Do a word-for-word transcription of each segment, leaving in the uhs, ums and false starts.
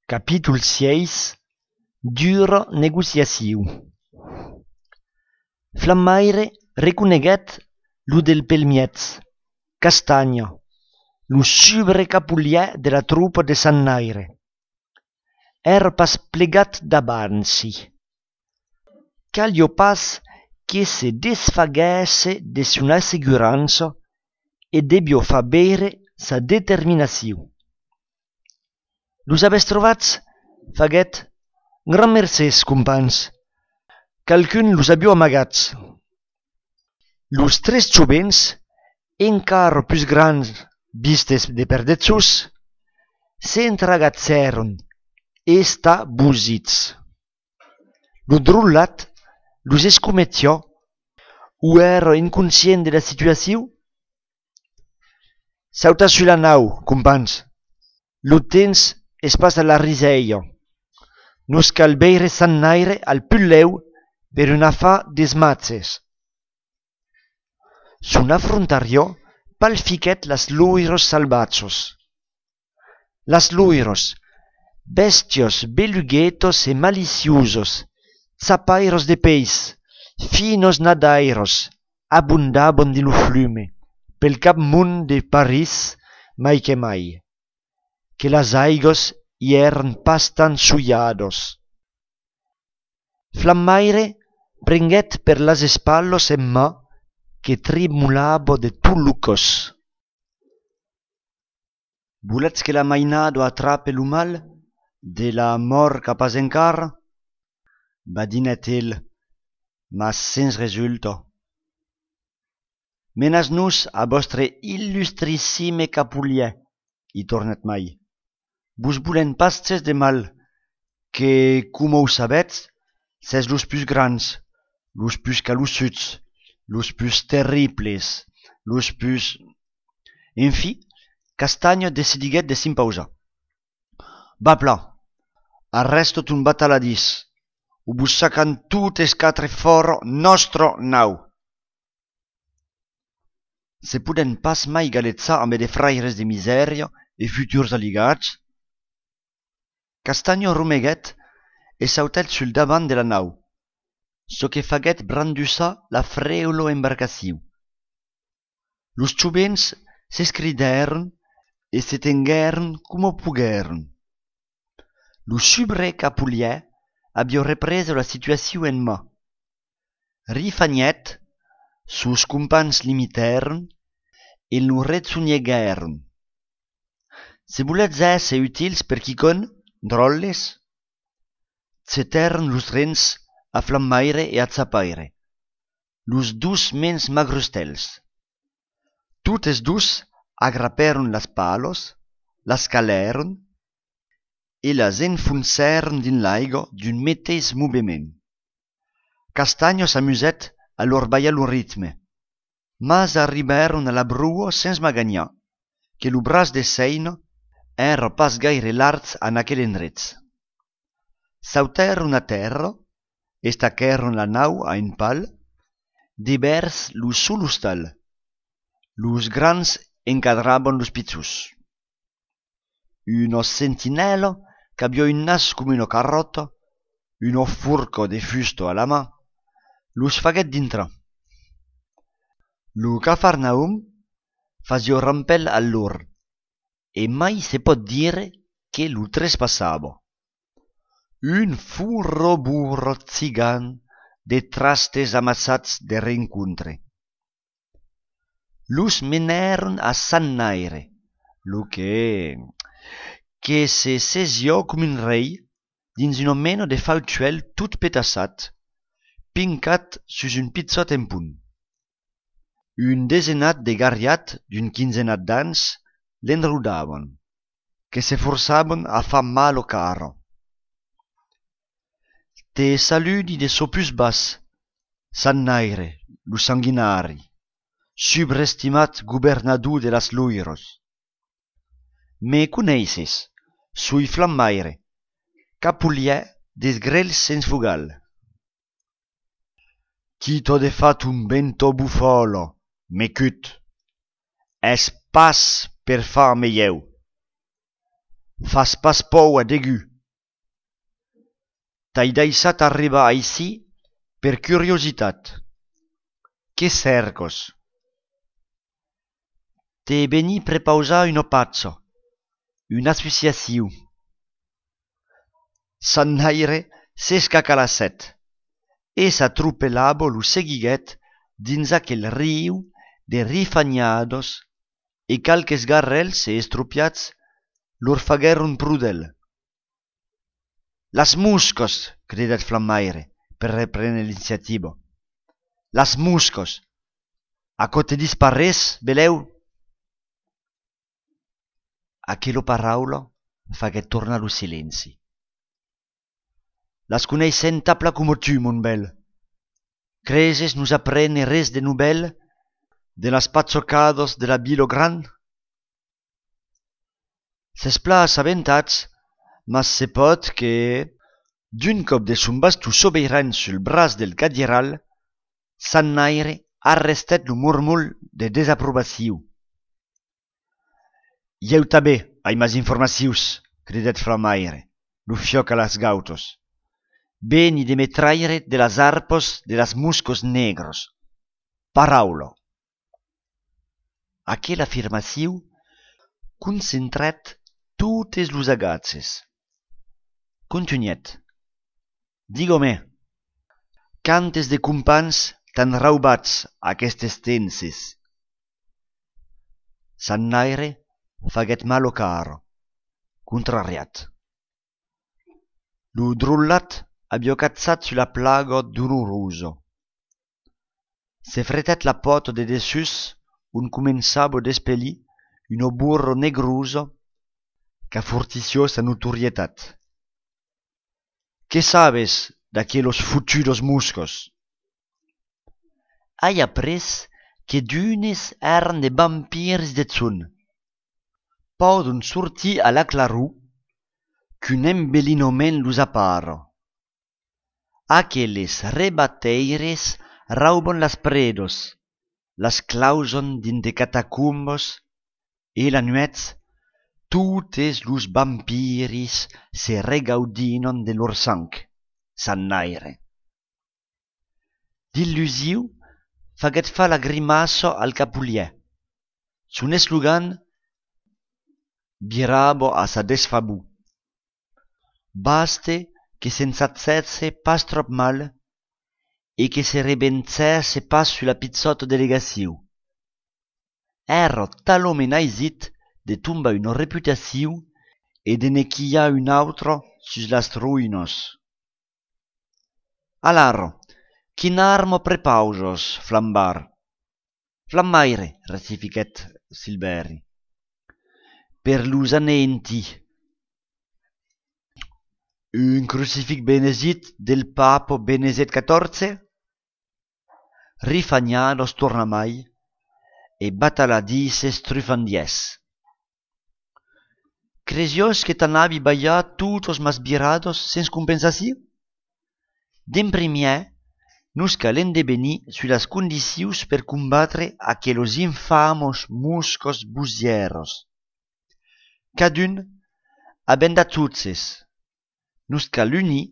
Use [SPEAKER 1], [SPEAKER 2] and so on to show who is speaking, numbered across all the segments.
[SPEAKER 1] Capítol seis. Dura negociació. Flammaire reconeguèt lo del pelmiètz, Castagna, lo subre capulièr de la tropa de Sannaire. Ère pas plegat d'avanci. Calio pas que se desfaguèsse de son assegurança e debió far bere sa determinació. Los avètz trovats, faguèt, gran mercès, compans. Calcun los abió amagats. Los tres jovens, encara plus grands vistes de perdetzos, s'entragatzèron estabosits. Lo drollat los escomettiò o ère inconscient de la situació. Sauta sur la nau, compans. Lo temps es pas a la riseia. Nos cal beire Sannaire al pulleu per un affà des matzes. Son affrontariò palfiquèt las loiros salvatsos. Las loiros, bestios beluguetos e maliciosos, zapairos de peis, finos nadairos, abundaban di lo flume, pel cap mund de París mai que mai, que las aigos i èran pas tan sullados. Flammaire prenguèt per las espallos en mà que tremolava de tot lo cos. Voletz que la mainado atrape lo mal de la mort capaz encara? Badinèt el, mas sens resulta. Menas-nos a vostre illustrissime capulièr, i tornèt mai. Vos volen pas cès de mal, que, coma ho sabètz, cès los plus grands, los plus calossuts, los plus terribles, los plus... En fi, Castagna decidiguèt de s'impausar. Va pla, arresto ton bataladís, o vos sacan totes quatre fora nostra nau. Se poden pas mai galetzar amb de fraires de misèria e futurs aligats? Castagna romeguèt e sautèt sul davant de la nau, çò que faguèt brandussar la frèula embarcació. Los jovens s'escridèron e se tenguèron coma poguèron. Lo subre capulièr avió represo la situació en mà. Rifanièt, sos compans l'imitèron e lo rezonhèguèron. Se voletz èsser utils per quicon, drolles, cetèron los rens a Flammaire e a Zapaire, los dus mens magrustèls. Totes dus agrapèron las palos, las calèron e las enfoncèron din l'aiga d'un metès movement. Castagna s'amusèt a lor ballar lo ritme, mas arribèron a la brua sens maganhar, que lo braç de Seina ère pas gaire larg en aquel endretz. Sautèron a terra, estaquèron la nau a un pal, devers lo solostal. Los grans encadraban los pizzos. Una sentinella qu'aviò un nas com una carrota, una furca de fusto a la mà, los faguèt dintra. Lo Cafarnaum fasió rampel a lor, e mai se pot dire que lo trespassava. Un furroburro zigan de trastes amassats de rencontre. Los menèron a Sannaire, lo que... que se sesiò com un rei dins una mena de fautuel tot petassat, pincat sus un pizzot en punt. Un desenat de garriat d'un quinzenat d'ans l'enrodavan, que se forçaven a far mal o cara. Te saludi de so plus bas, Sannaire, lo sanguinari, subestimat governador de las loiros. Me coneisses, sui Flammaire, capulièr des grels sens fugal. Qui t'ha de fat un bento bufalo, m'ecut, es pas per far meieu. Fas pas pou a degu, t'ai deixat arribar aicí per curiositat. Què cercos? T'he veni prepausar un opazzo, una associació. Sannaire s'escacalasset e s'atropellabo lo seguiguet dins aquel riu de rifagnados e calques garrels e estropiats lor faguèron prudel. Las muscos, cridet Flammaire per reprendre l'iniziativa. Las muscos. A co te disparés, beleu? Aquella paraula faguèt tornar lo silenci. Las coneissem tapla como tu, mon bel. Creses nous aprene res de nouvelle de las pazzocados de la Bilo Gran? S'esplà assabentats, mas se pot que, d'un cop de son basto sobeiran sul bras del cadieral, Sannaire arrestet lo murmul de desaprobació. Ieu tanben ai mas informacions, cridet Flammaire, lo fioc a las gautos. Veni de me traire de las arpos de las muscos negros. Paraula. Aquella afirmació concentrat totes los agatzes. Continuèt. Digo-me, quantes de compans t'han raubats aquestes tenses? Sannaire faguèt malo caro, contrariat. Lo drollat aviò cazzat sulla plaga doloroso. Se fretet la poto de dessus un començabo d'espellir un burro negruso qu'a fortició sa notorietat. Què sabes d'aquellos futudos muscos? Hai après que d'unes eren de vampirs de zun. Podon sortir a la claror qu'un embellinament los apara. Aquelles rebateires rauben las predos, las clauson dins de catacumbos e la nuet totes los vampiris se regaudinon de lor sang, Sannaire. D'illusiu faguet fa la grimasso al capulier. Son eslogan virabo a sa desfabu. Baste que s'ensatzesse pas trop mal e que se rebenzesse pas sulla pizzotto delegació. Ero talment aisit de tombar una reputació e de ne quillar un autre sus las ruïnos. Alaro, quin armo prepausos, Flambar? Flammaire, ratifiquet Silveri. Per los anenti. Un crucifix benesit del papo Beneset quatorze? Rifagnados tornamai e bataladices trufandies. Cresios que t'anavi ballat tutos mas virados sens compensació? D'en primier, nos calen de venir sur las condicions per combatre aquellos infamos muscos busieros. Cadun abenda tutzes. Nos cal unir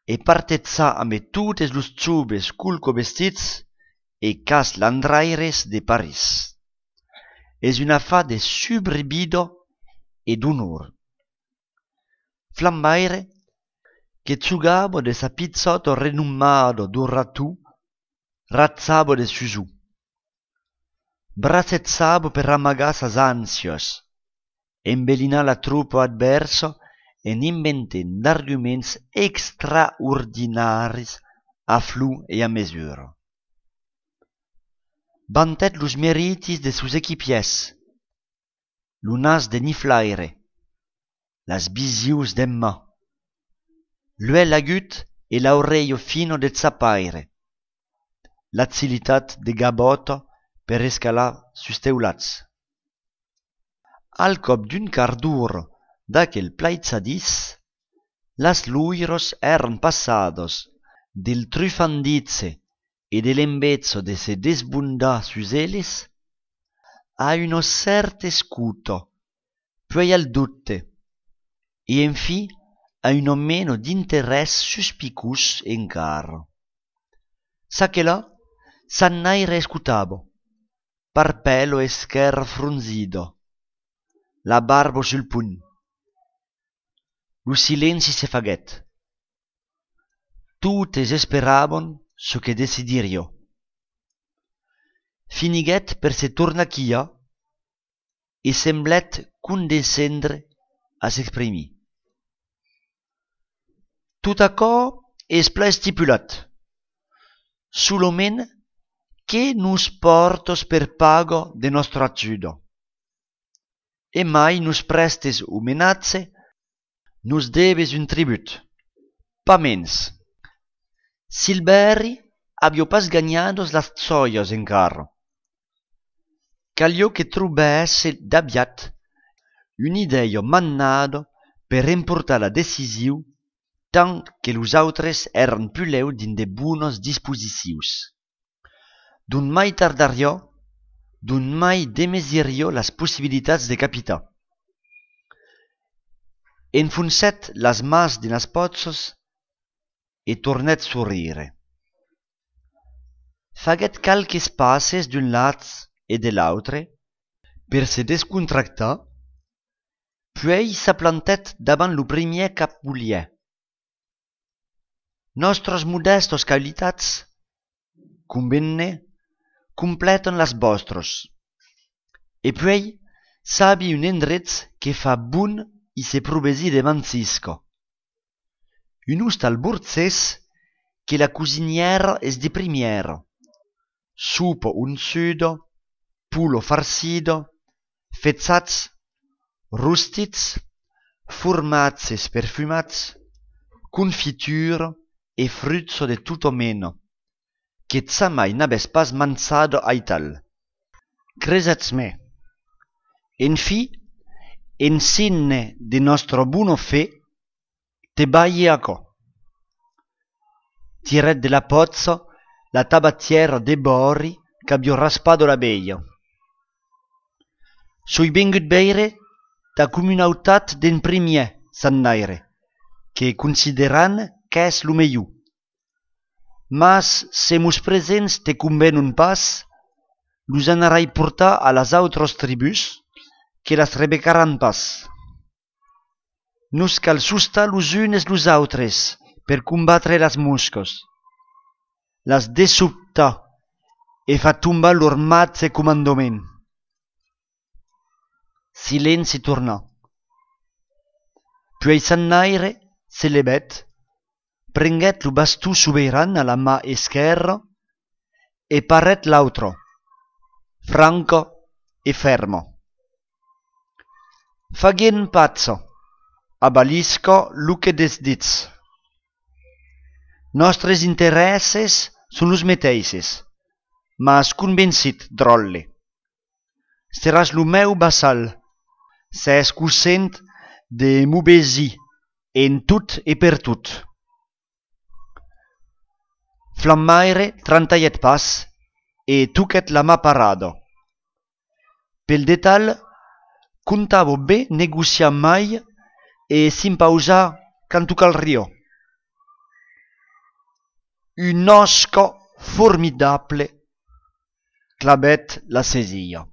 [SPEAKER 1] e partetzar amb totes los chubes culco vestits e cas landraires de Paris. Es un affaire de subrebido e d'honor. Flammaire, que chugabo de sa pizzotto renomado do ratú, razzabo de susù. Bracezzabo per amagar sas ansios, embellinar la truppa adverso en inventen d'arguments extraordinaris a flu e a mesura. Vantet los meritis de sus equipiers, lo nas de Niflaire, las visius d'Emma, l'uel agut e l'aureio fino de Zapaire, l'agilitat de Gaboto per escalar sus teulats. Al cop d'un quart d'ora d'aquel plaitzadís, las luiros eran passados del trufandize e dell'embezzo de se desbundar sus eles a uno certe scuto, poi al dutte, e enfi a un meno d'interès suspicus encara. Sa che là, Sannaire escutavo, parpello e scher frunzido, la barba sul pugno. Lo silenzio se faguet. Tutes esperavan su che decidirio. Finiguet per se torna chia e semblet condescendre a s'exprimir. Tout accord es pla estipulat. Sulomen che nus portos per pago de nostro acciudo. E mai nus prestes o menazze, nus debes un tribut. Pa mens. Silberri abbio pas gagnados las zoios encara. Calio che trubesse d'abiat un'idea mannado per importar la decisiu tant que los autres eran puleu din de bunos dispositius. D'un mai tardario, d'un mai demesirio las possibilitats de capitar. Enfuncet las mas de nas pozzos e tornet sorrire. Faguet calques passes d'un lat e de l'autre per se descontractar, puis s'aplantet davant lo primier capbulier. Nostros modestos qualitats, convenne, completan las vostros. E puis sabi un endrez que fa bun i se provesi de Mancisco. Un ustal burzès que la cusiniera es de primiera. Supo unsudo, pulo farcido, fezzats, rustits, formazes perfumats, confiture e fruzzo de tutto meno, che zamai n'abes pas manzado aital. Cresatz me. En fi, en sinne de nostro buono fe, te baiaco. Tiret de la pozzo la tabatiera de Borri qu'abbio raspado la beia. Soi vengut beire da comunautat d'en primier, Sannaire, che consideran qu'es lo meiu. Mas se mus presents te convenun pas, los anarai portar a las autros tribus, que las rebecaran pas. Nus cal sustar los unes los autres per combatre las moscos, las desubtar e fa tombar lor matze comandament. Silenci torna. Puis Sannaire se lebet, prenguet lo bastù soberan a la mà esquerra e paret l'autro, franco e fermo. Fagien pazzo, abalisco lo che des dits. Nostres interesses son los meteises, mas convencit, drolle. Seràs lo meu vassal, s'es cosent de m'obesi en tot e per tot. Flammaire trantaiet pas e tuquet la mà parado. Pel detal, contavo bé negociar mai e s'impausa canto cal rio. Un osco formidable clabet la sesia.